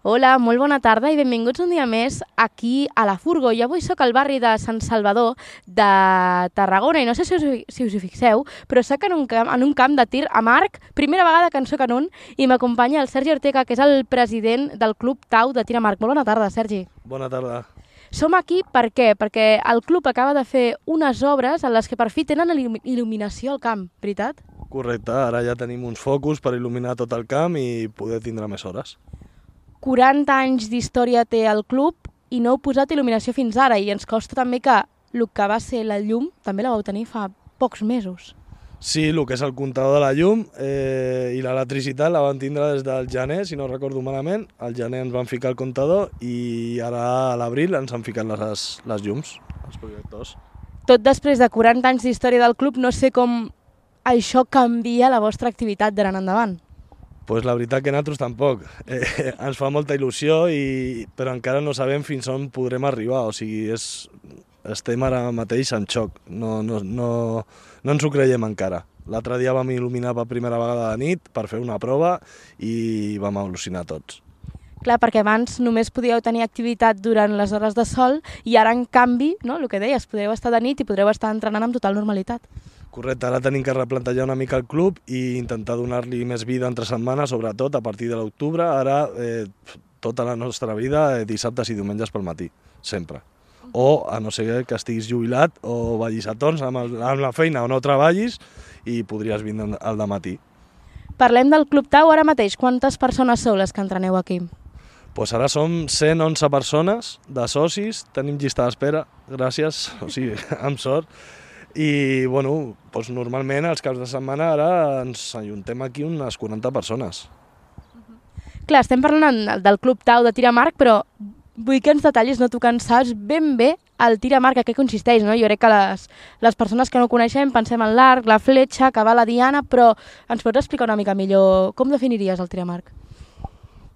Hola, molt bona tarda i benvinguts un dia més aquí a la Furgo. I avui sóc al barri de Sant Salvador de Tarragona i no sé si us hi fixeu, però sóc en un camp de tir amb arc, primera vegada que en sóc en un, i m'acompanya el Sergi Ortega, que és el president del Club Tau de tir amb arc. Molt bona tarda, Sergi. Bona tarda. Som aquí per què? Perquè el club acaba de fer unes obres en les que per fi tenen il·luminació al camp, veritat? Correcte, ara ja tenim uns focus per il·luminar tot el camp i poder tindre més hores. 40 anys d'història té el club i no heu posat il·luminació fins ara, i ens costa també que el que va ser la llum també la vau tenir fa pocs mesos. Sí, el que és el comptador de la llum i l'electricitat la van tindre des del gener, si no recordo malament. Al gener ens van ficar el comptador i ara a l'abril ens han ficat les llums, els projectors. Tot després de 40 anys d'història del club, no sé com això canvia la vostra activitat d'ara en endavant. Pues la veritat que nosaltres tampoc. Ens fa molta il·lusió, però encara no sabem fins on podrem arribar. O sigui, estem ara mateix en xoc. No ens ho creiem encara. L'altre dia vam il·luminar per primera vegada de nit per fer una prova i vam al·lucinar tots. Clar, perquè abans només podíeu tenir activitat durant les hores de sol i ara, en canvi, no, el que deies, podreu estar de nit i podreu estar entrenant amb total normalitat. Correcte, ara tenim que replantejar una mica el club i intentar donar-li més vida entre setmanes, sobretot a partir de l'octubre. Ara tota la nostra vida, dissabtes i diumenges pel matí, sempre. O a no ser que estiguis jubilat o vagis a torns amb la feina o no treballis i podries vindre al dematí. Parlem del Club Tau ara mateix. Quantes persones sou les que entreneu aquí? Pues ara som 111 persones de socis, tenim llista d'espera, gràcies, o sigui, amb sort. I bueno, doncs normalment els caps de setmana ara ens ajuntem aquí unes 40 persones. Clar, estem parlant del Club Tau de tir amb arc, però vull que ens detallis, no, tu que en saps ben bé el tir amb arc, a què consisteix, no? Jo crec que les persones que no coneixem pensem en l'arc, la fletxa, que va la diana, però ens pots explicar una mica millor com definiries el tir amb arc?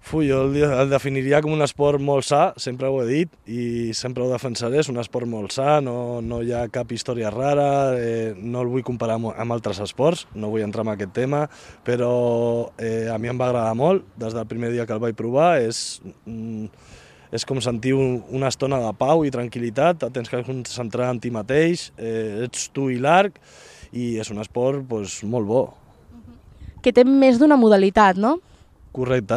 Jo el definiria com un esport molt sa, sempre ho he dit i sempre ho defensaré, és un esport molt sa, no hi ha cap història rara, no el vull comparar amb altres esports, no vull entrar en aquest tema, però a mi em va agradar molt, des del primer dia que el vaig provar, és com sentir una estona de pau i tranquil·litat, tens que concentrar en ti mateix, ets tu i l'arc i és un esport molt bo. Que té més d'una modalitat, no? Correcte,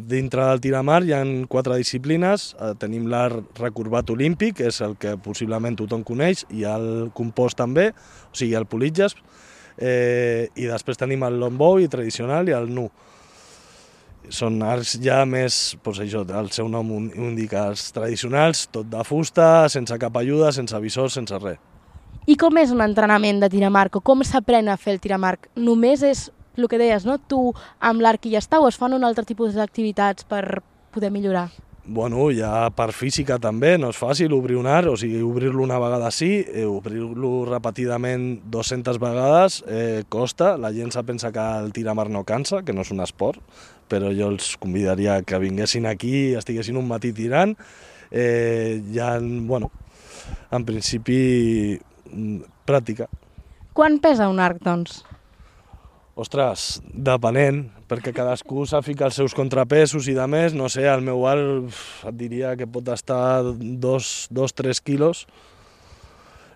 dintre del tir amb arc hi ha 4 disciplines, tenim l'arc recorbat olímpic, que és el que possiblement tothom coneix, hi ha el compost també, o sigui el politges, i després tenim el longbow i tradicional i el nu. Són arcs ja més, doncs això, el seu nom ho indica, els tradicionals, tot de fusta, sense cap ajuda, sense visor, sense res. I com és un entrenament de tir amb arc, o com s'aprèn a fer el tir amb arc? Només és el que deies, no? Tu amb l'arc i ja està, o es fan un altre tipus d'activitats per poder millorar? Bueno, ja per física també, no és fàcil obrir un arc, o sigui, obrir-lo una vegada sí, obrir-lo repetidament 200 vegades costa, la gent se pensa que el tir amb arc no cansa, que no és un esport, però jo els convidaria que vinguessin aquí i estiguessin un matí tirant. Bueno, en principi, pràctica. Quan pesa un arc, doncs? Ostres, depenent, perquè cadascú s'afica els seus contrapesos i de més, no sé, el meu arc et diria que pot estar 2-3 quilos,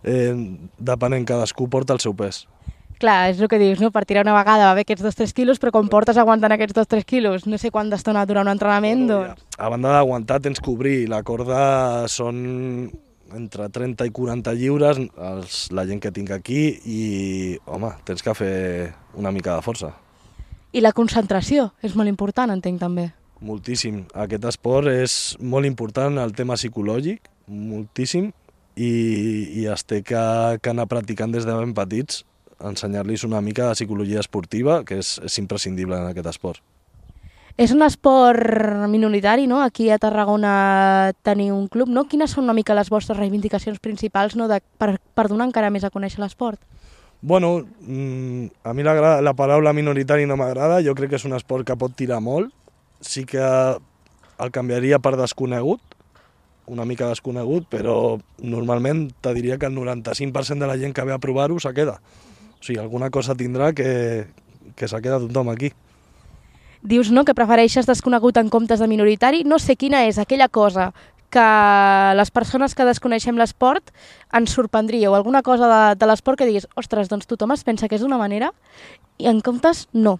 depenent, cadascú porta el seu pes. Clar, és el que dius, no? Per tirar una vegada va bé aquests 2-3 quilos, però com portes aguantant aquests 2-3 quilos, no sé quant d'estona dura un entrenament, doncs... A banda d'aguantar tens que obrir, la corda són entre 30 i 40 lliures, la gent que tinc aquí, i, home, tens que fer una mica de força. I la concentració és molt important, entenc, també. Moltíssim. Aquest esport és molt important, el tema psicològic, moltíssim, i es té que anar practicant des de ben petits, ensenyar-los una mica de psicologia esportiva, que és imprescindible en aquest esport. És un esport minoritari, no? Aquí a Tarragona tenir un club, no? Quines són una mica les vostres reivindicacions principals, no? Per donar encara més a conèixer l'esport? Bueno, a mi la paraula minoritari no m'agrada, jo crec que és un esport que pot tirar molt, sí que el canviaria per desconegut, una mica desconegut, però normalment te diria que el 95% de la gent que ve a provar-ho se queda. O sigui, alguna cosa tindrà que se queda tothom aquí. dius no, que prefereixes desconegut en comptes de minoritari. No sé quina és aquella cosa que les persones que desconeixem l'esport ens sorprendria, o alguna cosa de l'esport que diguis, ostres, doncs tothom es pensa que és d'una manera i en comptes no.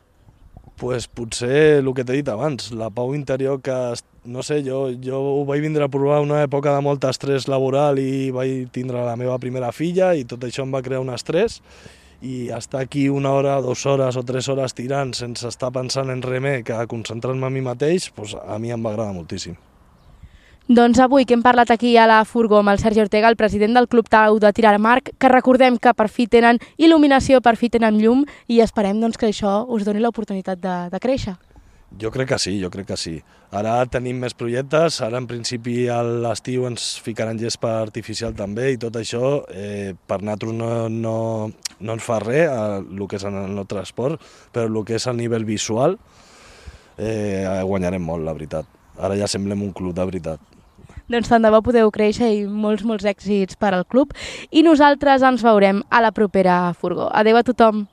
Pues potser el que t'he dit abans, la pau interior que, no sé, jo ho vaig vindre a provar una època de molt estrès laboral i vaig tindre la meva primera filla i tot això em va crear un estrès i estar aquí 1 hora, 2 hores o 3 hores tirant sense estar pensant en res més que concentrant-me en mi mateix, pues a mi em va agradar moltíssim. Doncs avui que hem parlat aquí a la Furgo amb el Sergi Ortega, el president del Club Tau de Tir amb Arc, que recordem que per fi tenen il·luminació, per fi tenen llum i esperem doncs, que això us doni l'oportunitat de créixer. Jo crec que sí. Ara tenim més projectes, ara en principi a l'estiu ens ficaran gespa artificial també i tot això per nosaltres no ens fa res el que és en el nostre esport, però el que és a nivell visual guanyarem molt, la veritat. Ara ja semblem un club de veritat. Doncs tant de bo podeu créixer i molts èxits per al club. I nosaltres ens veurem a la propera Furgo. Adéu a tothom!